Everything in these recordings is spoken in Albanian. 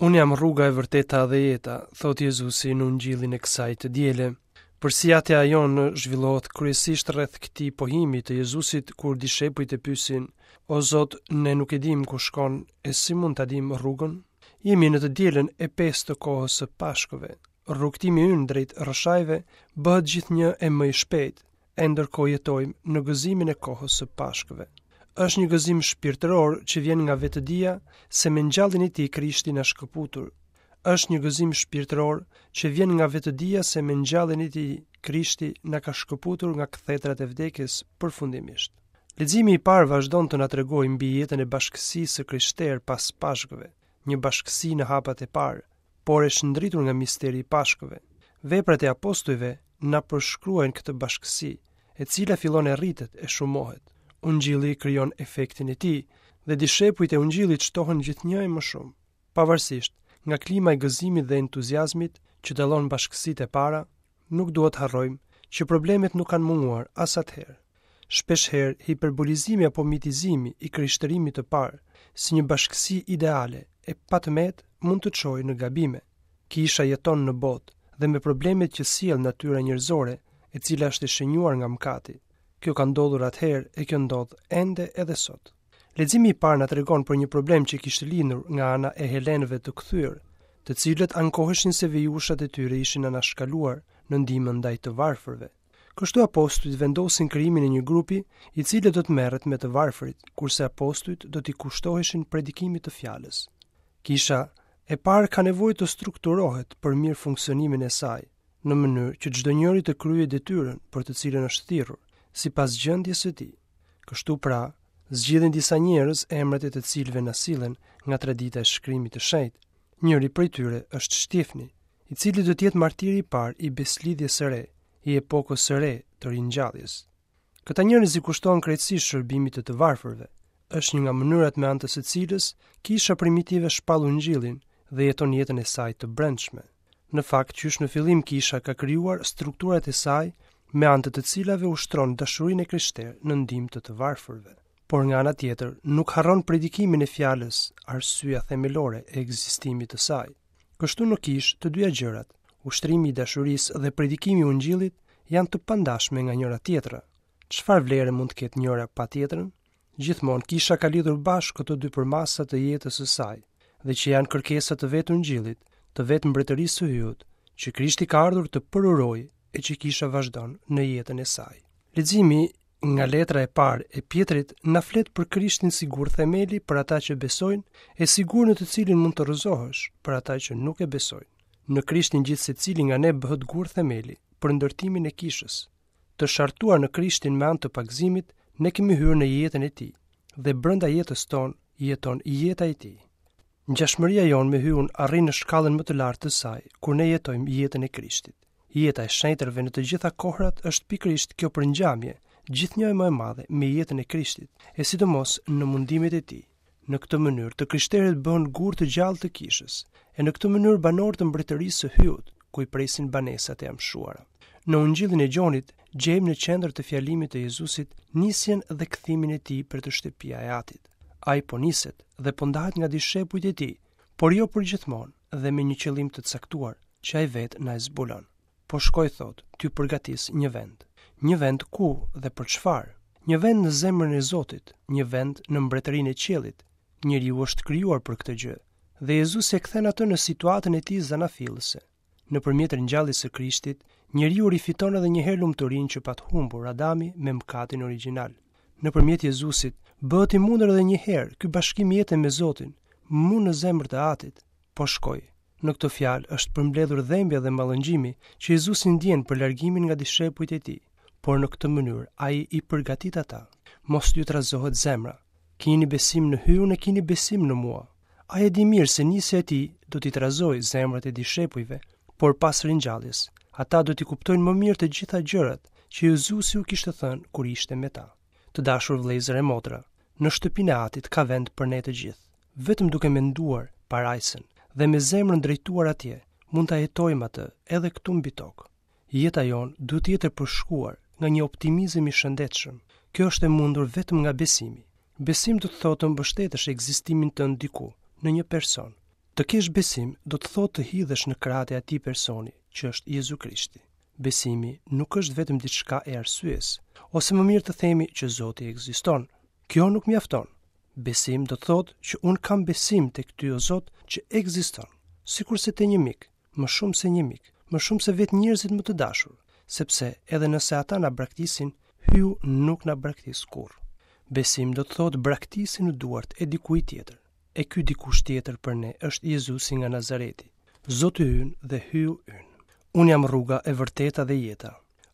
Unë jam rruga e vërteta dhe jeta, thotë Jezusi në Ungjillin e kësaj të diele. Përsiatja jonë zhvillohet kryesisht rreth këtij pohimi të Jezusit kur dishepujt e pyesin: O Zot, ne nuk e dimë ku shkon e si mund ta dimë rrugën? Jemi në të dielën e pestë të kohës së Pashkëve. Rrugëtimi ynë drejt Rrëshajve bëhet gjithnjë e më i shpejtë, e ndërkohë jetojmë në gëzimin e kohës së Pashkëve. Është një gëzim shpirtëror që vjen nga vetëdija se me ngjalljen e tij Krishti na shkëputur. Është një gëzim shpirtëror që vjen nga vetëdija se me ngjalljen e tij Krishti na ka shkëputur nga kthetrat e vdekjes përfundimisht. Leximi i parë vazhdon të na tregojë mbi jetën e bashkësisë së krishterë pas Pashkëve, një bashkësi në hapat e parë, por e shndritur nga misteri i Pashkëve. Veprat e apostujve na përshkruajnë këtë bashkësi, e cila fillon e rritet e shumohet. Ungjilli krijon efektin e tij dhe dishepujt e Ungjillit shtohen gjithnjë e më shumë. Pavarësisht nga klima e gëzimit dhe entuziazmit që dallon bashkësitë e para, nuk duhet të harrojmë që problemet nuk kanë munguar as atëherë. Shpeshherë hiperbolizimi apo mitizimi i krishterimit të parë si një bashkësi ideale e pa të metë mund të çojë në gabime. Kisha jeton në botë dhe me problemet që sjell natyra njerëzore, e cila është e shenjuar nga mëkati. Kjo ka ndodhur atëherë e kjo ndodh ende edhe sot. Leximi i parë na tregon për një problem që kishte lindur nga ana e helenëve të kthyer, të cilët ankoheshin se vejushat e tyre ishin anashkaluar në ndihmën ndaj të varfërve. Kështu apostujt vendosin krijimin e një grupi i cili do të merret me të varfërit, kurse apostujt do t'i kushtoheshin predikimit të fjalës. Kisha e parë ka nevojë të strukturohet për mirëfunksionimin e saj, në mënyrë që çdonjëri të kryejë detyrën për të cilën është thirrur, sipas gjendjes së tij. Kështu pra, zgjidhen disa njerëz emrat e të cilëve na sillen nga tradita e shkrimit të shenjtë. Njëri prej tyre është Shtjefni, i cili do të jetë martiri i parë i besëlidhjes së re, i epokës së re të ringjalljes. Këta njerëz i kushtohen krejtësisht shërbimit të të varfërve. Është një nga mënyrat me anë të së cilës kisha primitive shpall ungjillin dhe jeton jetën e saj të brendshme. Në fakt, qysh në fillim kisha ka krijuar strukturat e saj me anë të të cilave ushtron dashurinë e krishterë në ndihmë të të varfërve. Por nga ana tjetër, nuk harron predikimin e fjalës, arsyeja themelore e ekzistimit të saj. Kështu në kishë, të dyja gjërat, ushtrimi i dashurisë dhe predikimi i ungjillit janë të pandashme nga njëra tjetra. Çfarë vlere mund të ketë njëra pa tjetrën? Gjithmonë kisha ka lidhur bashkë këto dy përmasa të jetës së saj dhe që janë kërkesa të vetë ungjillit, të vetë mbretërisë së Hyjut, që Krishti ka ardhur të përurojë e që kisha vazhdon në jetën e saj. Leximi nga letra e parë e Pjetrit na flet për Krishtin si gur themeli për ata që besojnë e si gur në të cilin mund të rrëzohesh për ata që nuk e besojnë. Në Krishtin gjithsecili nga ne bëhet gur themeli për ndërtimin e kishës. Të shartuar në Krishtin me anë të pagëzimit, ne kemi hyrë në jetën e tij dhe brenda jetës tonë jeton jeta e tij. Ngjashmëria jonë me Hyun arrin në shkallën më të lartë të saj kur ne jetojmë jetën e Krishtit. Jeta e shenjtërve në të gjitha kohërat është pikërisht kjo përngjamje, gjithnjë e më e madhe me jetën e Krishtit, e sidomos në mundimet e tij. Në këtë mënyrë, të krishterët bëhen gurë të gjallë të kishës, e në këtë mënyrë banorë të mbretërisë së Hyut, ku i presin banesat e amshuara. Në Ungjillin e Gjonit gjejmë në qendër të fjalimit të Jezusit nisjen dhe kthimin e tij për te shtëpia e Atit. Ai po niset dhe po ndahet nga dishepujt e tij, por jo përgjithmonë dhe me një qëllim të caktuar që ai vetë na e zbulon. Po shkoj thotë, t'ju përgatis një vend. Një vend ku dhe për çfarë? Një vend në zemrën e Zotit, një vend në mbretërinë e qiellit. Njeriu është krijuar për këtë gjë dhe Jezusi e kthen atë në situatën e tij zanafillëse. Nëpërmjet ringjalljes së Krishtit, njeriu rifiton edhe një herë lumturinë që pat humbur Adami me mëkatin origjinal. Nëpërmjet Jezusit, bëhet i mundur edhe një herë ky bashkim jete me Zotin, mu në zemër të Atit. Po shkoj. Në këtë fjalë është përmbledhur dhembja dhe mallëngjimi që Jezusi ndjen për largimin nga dishepujt e tij, por në këtë mënyrë ai i përgatit ata. Mos t'ju trazohet zemra. Kini besim në Hyun e kini besim në mua. Ai e di mirë se nisja e tij do t'i trazojë zemrat e dishepujve, por pas ringjalljes, ata do t'i kuptojnë më mirë të gjitha gjërat që Jezusi u kishte thënë kur ishte me ta. Të dashur vëllezër e motra, në shtëpinë e Atit ka vend për ne të gjithë. Vetëm duke menduar parajsën dhe me zemrën drejtuar atje, mund ta jetojmë atë edhe këtu mbi tokë. Jeta jonë duhet të jetë e përshkuar nga një optimizëm i shëndetshëm. Kjo është e mundur vetëm nga besimi. Besim do të thotë të mbështetësh ekzistimin tënd diku, në një person. Të kesh besim do të thotë të hidhesh në krahët e atij personi që është Jezu Krishti. Besimi nuk është vetëm diçka e arsyes, ose më mirë të themi që Zoti ekziston. Kjo nuk mjafton. Besim do të thotë që unë kam besim tek ty o Zot që ekziston, sikurse te një mik, më shumë se një mik, më shumë se vetë njerëzit më të dashur, sepse edhe nëse ata na braktisin, Hyu nuk na braktis kurrë. Besim do të thotë braktisje në duart e dikujt tjetër. E ky dikush tjetër për ne është Jezusi nga Nazareti, Zoti ynë dhe Hyu ynë. Unë jam rruga e vërteta dhe jeta.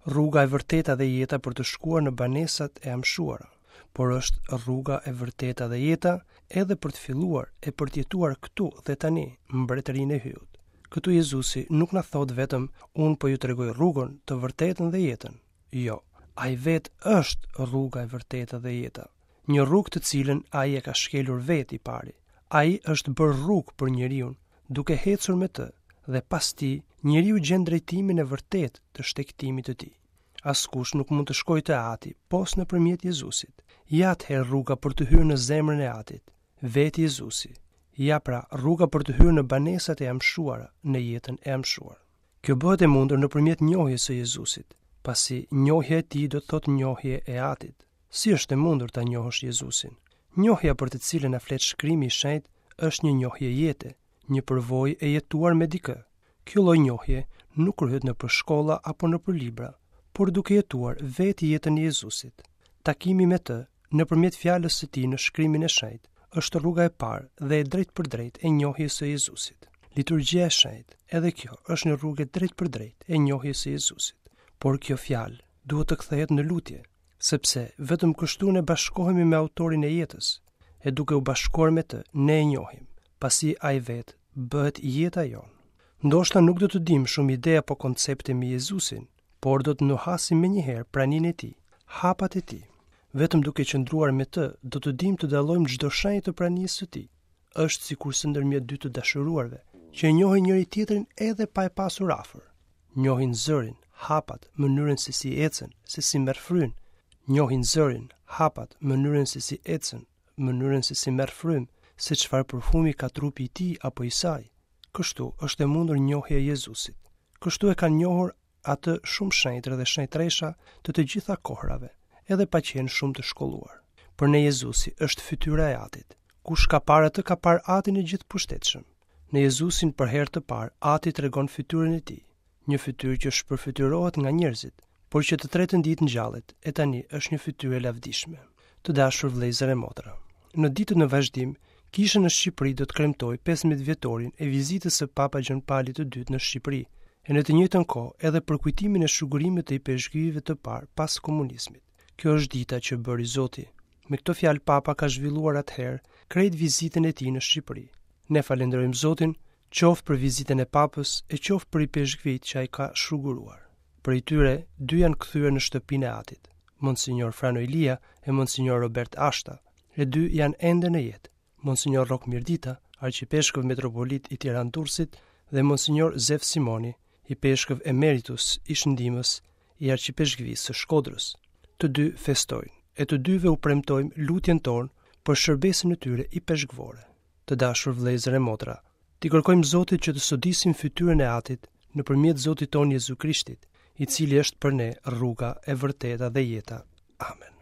Rruga e vërteta dhe jeta për të shkuar në banesat e amshuara, por është rruga e vërteta dhe jeta edhe për të filluar e për të jetuar këtu dhe tani mbretërinë e Hyut. Këtu Jezusi nuk na thotë vetëm unë po ju tregoj rrugën, të vërtetën dhe jetën. Jo, ai vetë është rruga e vërteta dhe jeta. Një rrugë të cilën ai e ka shkelur vetë i pari. Ai është bërë rrugë për njeriun, duke ecur me të dhe pas tij njeriu gjen drejtimin e vërtetë të shtegtimit të tij. Askush nuk mund të shkojë te Ati pos nëpërmjet Jezusit. Ja atëherë rruga për të hyrë në zemrën e Atit, vetë Jezusi. Ja pra rruga për të hyrë në banesat e amshuara, në jetën e amshuar. Kjo bëhet e mundur nëpërmjet njohjes së Jezusit, pasi njohja e tij do të thotë njohje e Atit. Si është e mundur ta njohësh Jezusin? Njohja për të cilën na flet Shkrimi i Shenjtë është një njohje jete, një përvojë e jetuar me dikë. Kjo lloj njohje nuk kryhet nëpër shkolla apo nëpër libra, por duke jetuar vetë jetën e Jezusit. Takimi me të, nëpërmjet fjalës së tij në Shkrimin e Shenjtë, është rruga e parë dhe e drejtpërdrejtë e njohjes së Jezusit. Liturgjia e Shenjtë, edhe kjo është një rrugë e drejtpërdrejtë e njohjes së Jezusit. Por kjo fjalë duhet të kthehet në lutje, sepse vetëm kështu ne bashkohemi me autorin e jetës, e duke u bashkuar me të, ne e njohim, pasi ai vetë bëhet jeta jonë. Ndoshta nuk do të dimë shumë ide apo koncepte mbi Jezusin, por do të nuhasim menjëherë praninë e tij, hapat e tij. Vetëm duke qëndruar me të, do të dimë të dallojmë çdo shenjë të pranisë së tij. Është sikurse ndërmjet dy të dashuruarve, që e njohin njëri-tjetrin edhe pa e pasur afër. Njohin zërin, hapat, mënyrën se si ecën, se si merr frymë. Njohin zërin, hapat, mënyrën se si ecën, mënyrën se si merr frymë, se çfarë parfumi ka trupi i tij apo i saj. Kështu është e mundur njohja e Jezusit. Kështu e kanë njohur atë shumë shenjtër dhe shenjtresha të të gjitha kohërave, edhe pa qenë shumë të shkolluar. Për ne Jezusi është fytyra e Atit. Kush ka parë atë ka parë Atin e gjithëpushtetshëm. Në Jezusin për herë të parë Ati tregon fytyrën e tij, një fytyrë që shpërfytyrohet nga njerëzit, por që të tretën ditë ngjallet, e tani është një fytyrë e lavdishme. Të dashur vëllezër e motra, në ditët në vazhdim, Kisha në Shqipëri do të kremtojë 15 vjetorin e vizitës së Papa Gjon Palit të II në Shqipëri, e në të njëjtën kohë edhe përkujtimin e shugurimit të ipeshkvijve të parë pas komunizmit. Kjo është dita që bëri Zoti. Me këto fjalë Papa ka zhvilluar atëherë krejt vizitën e tij në Shqipëri. Ne falënderojmë Zotin, qoftë për vizitën e Papës e qoftë për ipeshkvijtë që ai ka shuguruar. Prej tyre, dy janë kthyer në shtëpinë e Atit, Monsignor Frano Ilia e Monsignor Robert Ashta, e dy janë ende në jetë, Monsignor Rrok Mirdita, arqipeshkëv metropolit i Tiranë-Durrësit dhe Monsignor Zef Simoni, ipeshkëv emeritus, ish ndihmës i arqipeshkvisë së Shkodrës. Të dy festojnë, e të dyve u premtojmë lutjen tonë për shërbesën e tyre ipeshkvore. Të dashur vëllezër e motra, t'i kërkojmë Zotit që të sodisim fytyrën e Atit nëpërmjet Zotit tonë Jezu Krishtit, i cili është për ne rruga e vërteta dhe jeta. Amen.